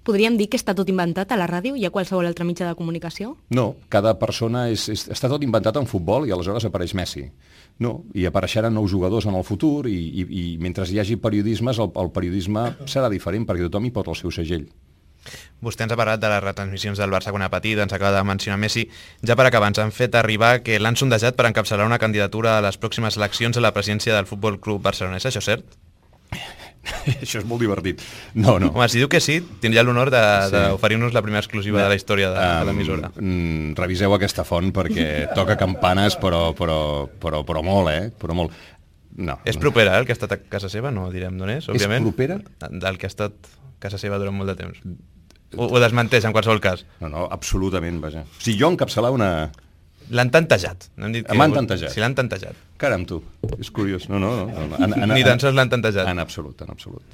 Podríem dir que està tot inventat a la ràdio i a qualsevol altre mitjà de comunicació? No, cada persona està tot inventat en futbol i aleshores apareix Messi. No, i apareixeran nous jugadors en el futur i mentre hi hagi periodismes, el periodisme serà diferent perquè tothom hi pot el seu segell. Vostè ens ha parlat de les retransmissions del Barça quan era petit, ens acaba de mencionar Messi. Ja per acabar, ens han fet arribar que l'han sondejat per encapçalar una candidatura a les pròximes eleccions a la presidència del Futbol Club Barcelona. És això cert? Això és molt divertit. No. Home, si diu que sí, tindria l'honor d'oferir-nos la primera exclusiva de la història de l'emissora. Reviseu aquesta font perquè toca campanes, però molt, Però molt. No. És propera, el que ha estat a casa seva? No direm d'on és, òbviament. És propera? Del que ha estat a casa seva durant molt de temps. Ho desmenteix, en qualsevol cas. No, absolutament, vaja. O sigui, jo encapçalar una... L'han tantejat. M'han tantejat. Sí, l'han tantejat. Caram, tu, és curiós. No. Ni tan sols l'han tantejat. En absolut.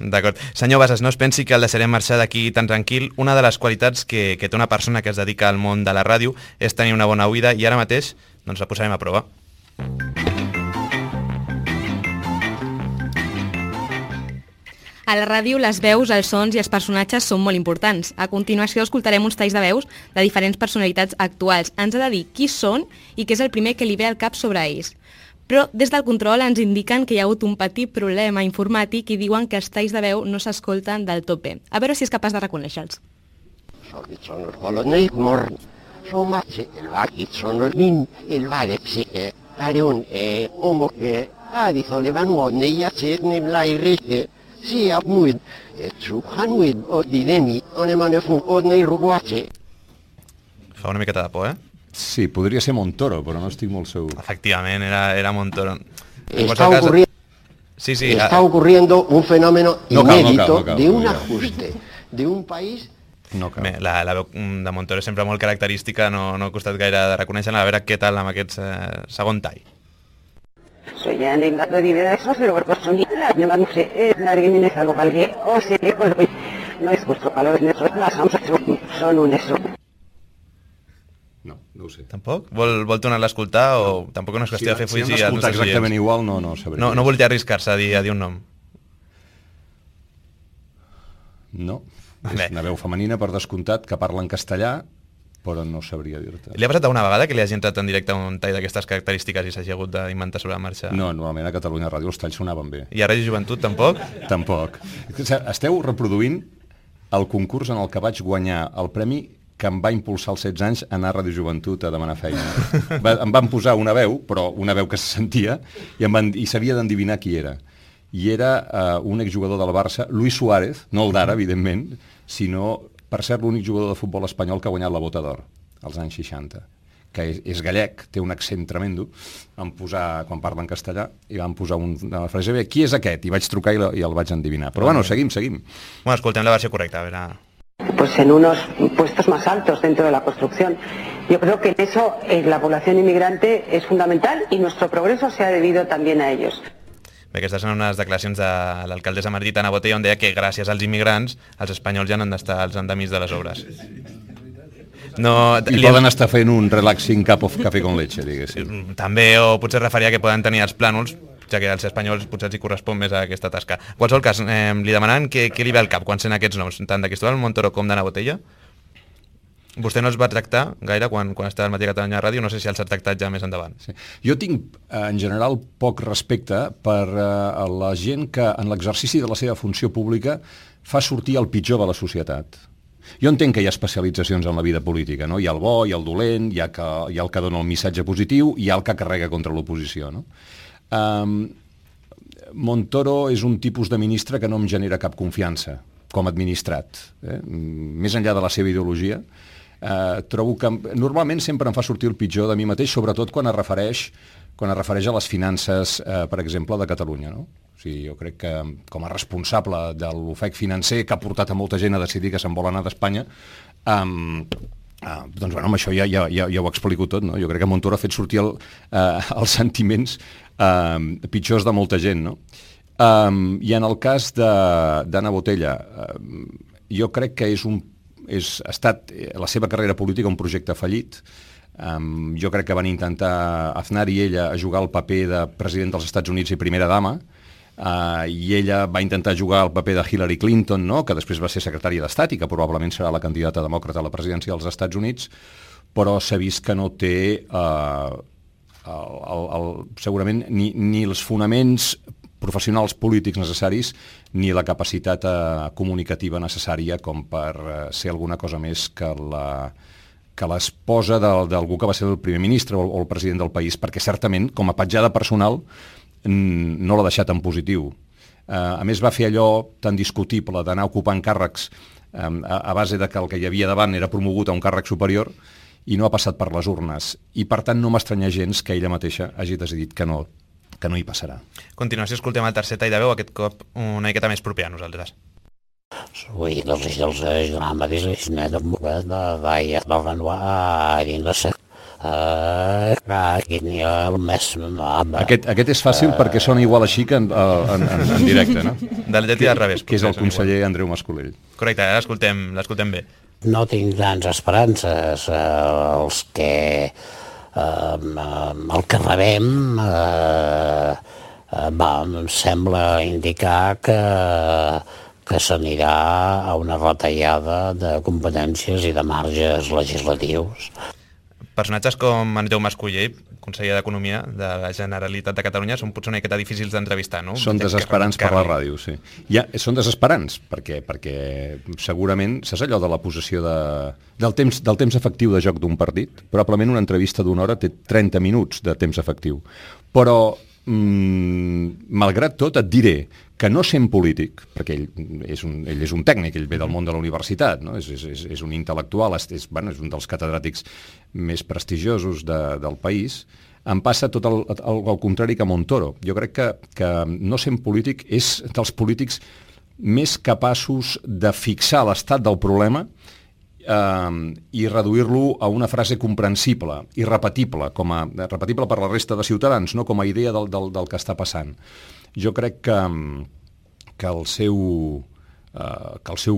D'acord. Senyor Bassas, no es pensi que el deixarem marxar d'aquí tan tranquil. Una de les qualitats que té una persona que es dedica al món de la ràdio és tenir una bona oïda i ara mateix doncs la posarem a prova. A la ràdio, les veus, els sons i els personatges són molt importants. A continuació, escoltarem uns talls de veus de diferents personalitats actuals. Ens ha de dir qui són i què és el primer que li ve al cap sobre ells. Però des del control ens indiquen que hi ha hagut un petit problema informàtic i diuen que els talls de veu no s'escolten del tot bé. A veure si és capaç de reconèixer-los. Fa una miqueta de por, eh? Sí, podria ser Montoro, però no estic molt segur. Efectivament, era Montoro. Está ocurriendo un fenómeno inédito de un ajuste de un país... Bé, la veu de Montoro és sempre molt característica, no ha costat gaire de reconèixer-la. A veure què tal amb aquest segon tall. Soy ya en el dato de eso, pero por personalidad, no sé, la orina es algo cualquier, o sea, pues no es vuestro valor, las AMSA son un eso. No ho sé. Tampoc? Vol tornar-la a escoltar o tampoc no és qüestió de fer full? Si hem d'escoltar exactament igual, no sabria. No volia arriscar-se a dir un nom? No. És una veu femenina, per descomptat, que parla en castellà, però no sabria dir-te. Li ha passat alguna vegada que li hagi entrat en directe un tall d'aquestes característiques i s'hagi hagut d'inventar sobre la marxa? No, normalment a Catalunya Ràdio els talls sonaven bé. I a Ràdio Joventut tampoc? Tampoc. Esteu reproduint el concurs en el que vaig guanyar el premi que em va impulsar als 16 anys a anar a Ràdio Joventut a demanar feina. Em van posar una veu, però una veu que se sentia, i s'havia d'endevinar qui era. I era un exjugador del Barça, Luis Suárez, no el d'ara, evidentment, sinó, per ser l'únic jugador de futbol espanyol que ha guanyat la Bota d'Or, als anys 60, que és gallec, té un accent tremendo, quan parla en castellà, i van posar una frase, qui és aquest? I vaig trucar i el vaig endevinar. Però bueno, seguim. Bueno, escoltem la versió correcta, a veure... Pues en unos puestos más altos dentro de la construcción. Yo creo que en eso la población inmigrante es fundamental y nuestro progreso se ha debido también a ellos. Bé, aquestes són unes declaracions de l'alcaldessa Martí Ana Botella on deia que gràcies als immigrants els espanyols ja no han d'estar als endemis de les obres. I poden estar fent un relaxing cup of café con leche, diguéssim. També, o potser referia que poden tenir els plànols, ja que als espanyols potser els hi correspon més a aquesta tasca. En qualsevol cas, li demanaven què li ve al cap quan sent aquests noms, tant de Cristóbal Montoro com d'Ana Botella? Vostè no els va tractar gaire quan estava al Matí Catalunya Ràdio, no sé si els ha tractat ja més endavant. Sí. Jo tinc, en general, poc respecte per la gent que, en l'exercici de la seva funció pública, fa sortir el pitjor de la societat. Jo entenc que hi ha especialitzacions en la vida política, no? Hi ha el bo, hi ha el dolent, hi ha el que dona el missatge positiu, hi ha el que carrega contra l'oposició, no? Montoro és un tipus de ministre que no em genera cap confiança com administrat. Més enllà de la seva ideologia, trobo que normalment sempre em fa sortir el pitjor de mi mateix, sobretot quan es refereix a les finances, per exemple, de Catalunya, no? O sigui, jo crec que com a responsable de l'ofec financer que ha portat a molta gent a decidir que se'n vol anar d'Espanya, doncs bueno, amb això ja ho explico tot, no? Jo crec que Montoro ha fet sortir els sentiments pitjors de molta gent, no? I en el cas d'Anna Botella, jo crec que ha estat la seva carrera política un projecte fallit. Jo crec que van intentar Aznar i ella a jugar el paper de president dels Estats Units i primera dama, i ella va intentar jugar el paper de Hillary Clinton, no? Que després va ser secretària d'Estat i que probablement serà la candidata demòcrata a la presidència dels Estats Units, però s'ha vist que no té segurament ni els fonaments professionals polítics necessaris ni la capacitat comunicativa necessària com per ser alguna cosa més que l'esposa d'algú que va ser el primer ministre o el president del país, perquè certament, com a petjada personal, no l'ha deixat en positiu. A més, va fer allò tan discutible d'anar ocupant càrrecs a base de que el que hi havia davant era promogut a un càrrec superior i no ha passat per les urnes. I, per tant, no m'estranya gens que ella mateixa hagi decidit que no hi passarà. A continuació escoltem el tercer tall de veu, aquest cop una miqueta més proper a nosaltres. Oui, doncs els drames de vaia del Renoir i no sé. Aquest és fàcil perquè sona igual així que en directe, no? Del llatí al revés. Que és el conseller Andreu Mascolell. Correcte, l'escoltem bé. No tinc grans esperances. Els que el que rebem em sembla indicar que s'anirà a una retallada de competències i de marges legislatius. Personatges com Andreu Mascolell, conseller d'Economia de la Generalitat de Catalunya, són potser una miqueta difícils d'entrevistar, no? Són desesperants per la ràdio, sí. Són desesperants, perquè segurament, saps allò de la possessió del temps efectiu de joc d'un partit? Probablement una entrevista d'una hora té 30 minuts de temps efectiu. Però, malgrat tot, et diré que no sent polític, perquè ell és un tècnic, ell ve del món de la universitat, no? És un intel·lectual, és un dels catedràtics més prestigiosos del país, em passa tot el contrari que Montoro. Jo crec que no sent polític és dels polítics més capaços de fixar l'estat del problema i reduir-lo a una frase comprensible i repetible, repetible per la resta de ciutadans, no com a idea del que està passant. Jo crec que el seu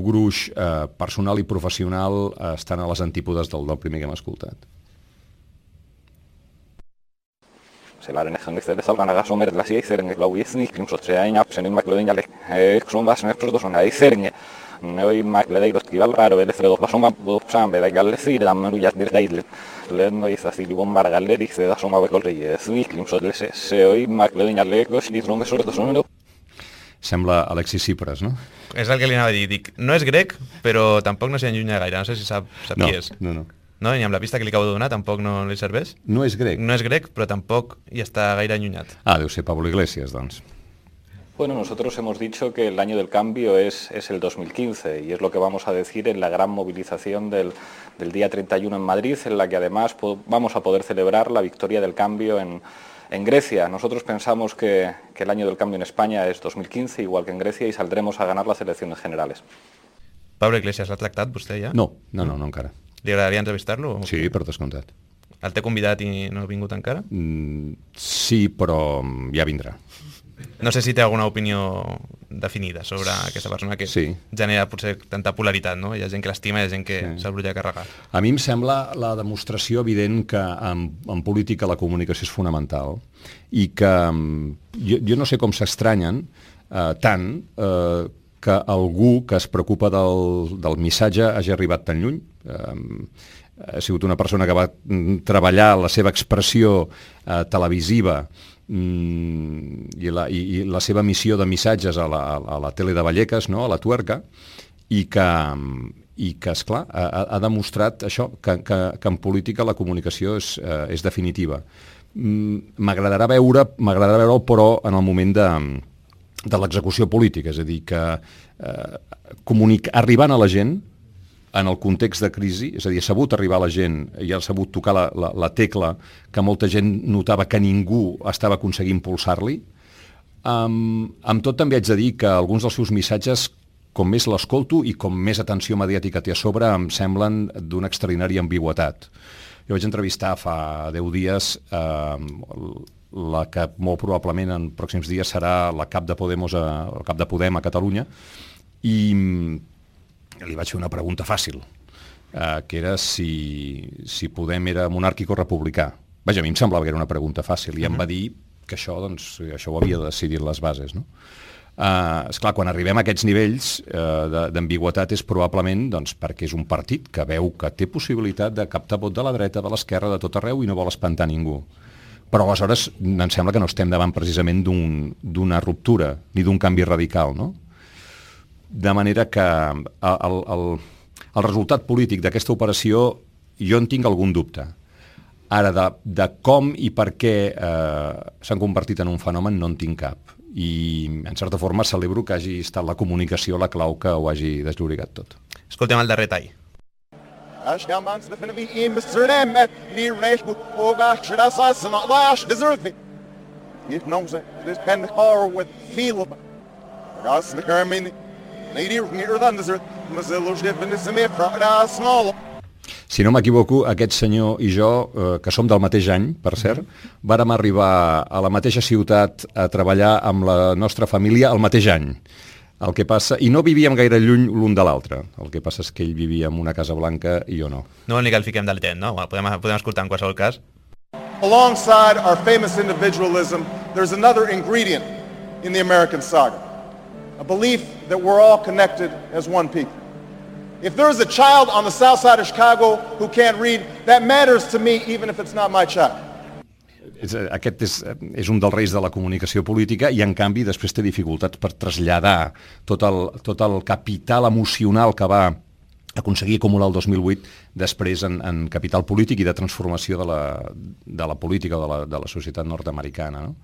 gruix personal i professional estan a les antípodes del primer que hem escoltat. Sellainen onnistele salgana gasomeret läsi eiseringe lauiesni klimsotse aina sen immaklöden jälle ekson vasne protos on eiseringe ne oi immaklöden koski valraro vele fredo pasoma sambe da galle sida men ujat dir daidle lenno isasi li bombar galle dice da soma vekolre sni klimsotle se oi immaklöden jälle koski tronge sobre sono. Sembla Alexis Tsipras, no? És el que li anava a dir. Dic, no és grec, però tampoc no s'hi allunya gaire. No sé si sap qui és. No. No? I amb la pista que li acabo de donar tampoc no li serveix? No és grec. No és grec, però tampoc hi està gaire allunyat. Deu ser Pablo Iglesias, doncs. Bueno, nosotros hemos dicho que el año del cambio es el 2015 y es lo que vamos a decir en la gran movilización del día 31 en Madrid, en la que además vamos a poder celebrar la victoria del cambio en Grecia. Nosotros pensamos que el año del cambio en España es 2015, igual que en Grecia, y saldremos a ganar las elecciones generales. Pablo Iglesias, l'ha tractat vostè ja? No encara. Li agradaria entrevistar-lo? Sí, per descomptat. El té convidat i no ha vingut encara? Sí, però ja vindrà. No sé si té alguna opinió definida sobre aquesta persona que genera potser tanta polaritat, no? Hi ha gent que l'estima i hi ha gent que se'l volia carregar. A mi em sembla la demostració evident que en política la comunicació és fonamental i que jo no sé com s'estranyen tant que algú que es preocupa del missatge hagi arribat tan lluny. Ha sigut una persona que va treballar la seva expressió televisiva i la seva missió de missatges a la tele de Vallecas, no? A la Tuerca, i que esclar, ha demostrat això, que en política la comunicació és definitiva. M'agradarà veure-ho, però en el moment de l'execució política, és a dir, que arribant a la gent en el context de crisi, és a dir, ha sabut arribar a la gent i ha sabut tocar la tecla que molta gent notava que ningú estava aconseguint impulsar-li. Amb tot també haig de dir que alguns dels seus missatges, com més l'escolto i com més atenció mediàtica té a sobre, em semblen d'una extraordinària ambigüitat. Jo vaig entrevistar fa 10 dies la que molt probablement en pròxims dies serà la cap de Podem a Catalunya, i li vaig fer una pregunta fàcil, que era si Podem era monàrquic o republicà. Vaja, a mi em semblava que era una pregunta fàcil, i em va dir que això ho havia de decidir les bases, no? Esclar, quan arribem a aquests nivells d'ambigüetat és probablement perquè és un partit que veu que té possibilitat de captar vot de la dreta, de l'esquerra, de tot arreu, i no vol espantar ningú. Però aleshores em sembla que no estem davant precisament d'una ruptura ni d'un canvi radical, no? De manera que el resultat polític d'aquesta operació jo en tinc algun dubte. Ara, de com i per què s'han convertit en un fenomen no en tinc cap. I, en certa forma, celebro que hagi estat la comunicació la clau que ho hagi desllorigat tot. Escoltem el darrer tall. Si no m'equivoco, aquest senyor i jo, que som del mateix any, per cert, vàrem arribar a la mateixa ciutat a treballar amb la nostra família el mateix any. El que passa, i no vivíem gaire lluny l'un de l'altre. El que passa és que ell vivia en una Casa Blanca i jo no. No vol ni que el fiquem del temps, no? Podem escoltar en qualsevol cas. Alongside our famous individualism, there's another ingredient in the American saga. A belief that we're all connected as one people. If there is a child on the south side of Chicago who can't read, that matters to me even if it's not my child. Aquest és un dels reis de la comunicació política i, en canvi, després té dificultats per traslladar tot el capital emocional que va aconseguir acumular el 2008 després en capital polític i de transformació de la política de la societat nord-americana, no?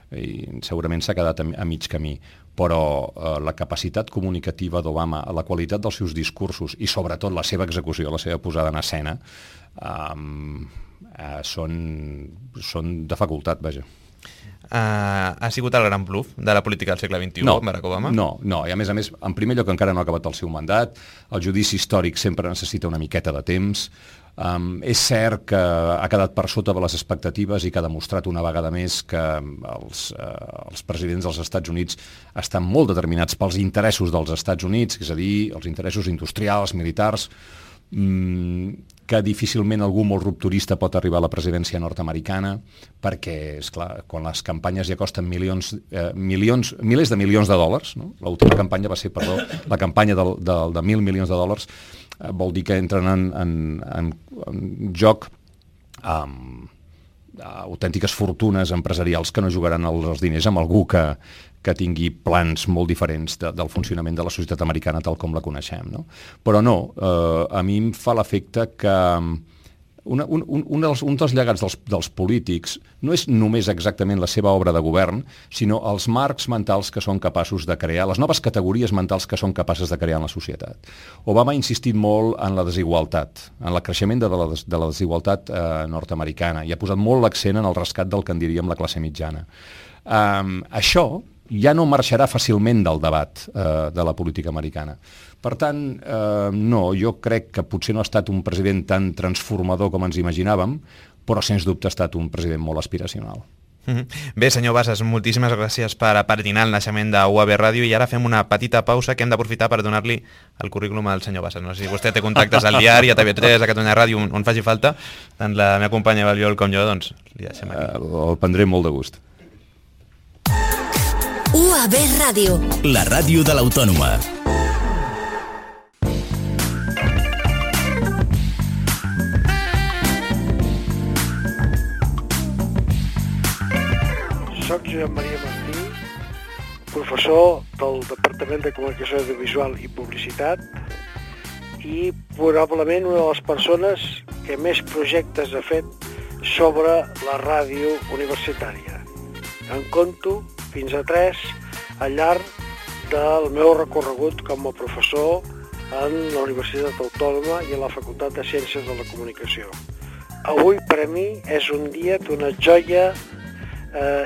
I segurament s'ha quedat a mig camí, però la capacitat comunicativa d'Obama, la qualitat dels seus discursos i sobretot la seva execució, la seva posada en escena, són de facultat, vaja. Ha sigut el gran bluff de la política del segle XXI, Barack Obama? No, i a més, en primer lloc encara no ha acabat el seu mandat, el judici històric sempre necessita una miqueta de temps. És cert que ha quedat per sota de les expectatives i que ha demostrat una vegada més que els presidents dels Estats Units estan molt determinats pels interessos dels Estats Units, és a dir, els interessos industrials, militars, que difícilment algú molt rupturista pot arribar a la presidència nord-americana, perquè, esclar, quan les campanyes ja costen milers de milions de dòlars, no? L'última campanya va ser, la campanya de 1.000 milions de dòlars, vol dir que entren en joc autèntiques fortunes empresarials que no jugaran els diners amb algú que tingui plans molt diferents del funcionament de la societat americana tal com la coneixem, no? Però no, a mi em fa l'efecte que un dels llegats dels polítics no és només exactament la seva obra de govern, sinó els marcs mentals que són capaços de crear, les noves categories mentals que són capaces de crear en la societat. Obama ha insistit molt en la desigualtat, en el creixement de la desigualtat nord-americana, i ha posat molt l'accent en el rescat del que en diríem la classe mitjana. Això ja no marxarà fàcilment del debat de la política americana. Per tant, no, jo crec que potser no ha estat un president tan transformador com ens imaginàvem, però sens dubte ha estat un president molt aspiracional. Bé, senyor Bassas, moltíssimes gràcies per apadrinar el naixement de UAB Ràdio, i ara fem una petita pausa que hem d'aprofitar per donar-li el currículum al senyor Bassas. No sé si vostè té contactes al diari, a TV3, a Catalunya Ràdio, on faci falta, tant la meva companya Valiol com jo, doncs li deixem aquí. El prendré molt de gust. UAB Ràdio. La ràdio de l'Autònoma. Soc Josep Maria Martí, professor del Departament de Comunicació Audiovisual i Publicitat i probablement una de les persones que més projectes ha fet sobre la ràdio universitària. En compto fins a 3 al llarg del meu recorregut com a professor en la Universitat Autònoma i a la Facultat de Ciències de la Comunicació. Avui per a mi és un dia d'una joia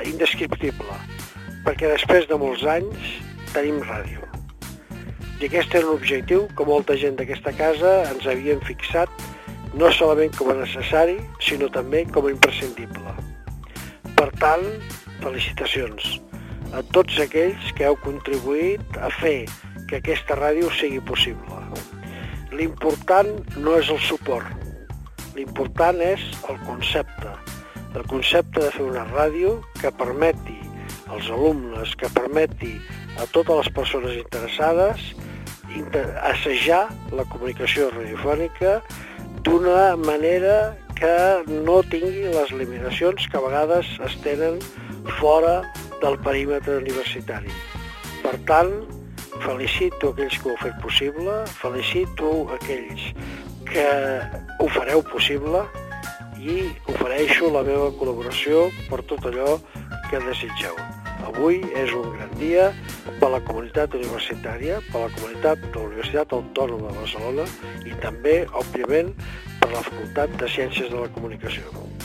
indescriptible, perquè després de molts anys tenim ràdio. I aquest era un objectiu que molta gent d'aquesta casa ens havíem fixat no solament com a necessari, sinó també com a imprescindible. Per tant, felicitacions a tots aquells que heu contribuït a fer que aquesta ràdio sigui possible. L'important no és el suport, l'important és el concepte de fer una ràdio que permeti als alumnes, que permeti a totes les persones interessades assajar la comunicació radiofònica d'una manera que no tingui les limitacions que a vegades es tenen fora del perímetre universitari. Per tant, felicito aquells que ho heu fet possible, felicito aquells que ho fareu possible i ofereixo la meva col·laboració per tot allò que desitgeu. Avui és un gran dia per la comunitat universitària, per la comunitat de la Universitat Autònoma de Barcelona i també, òbviament, per la Facultat de Ciències de la Comunicació.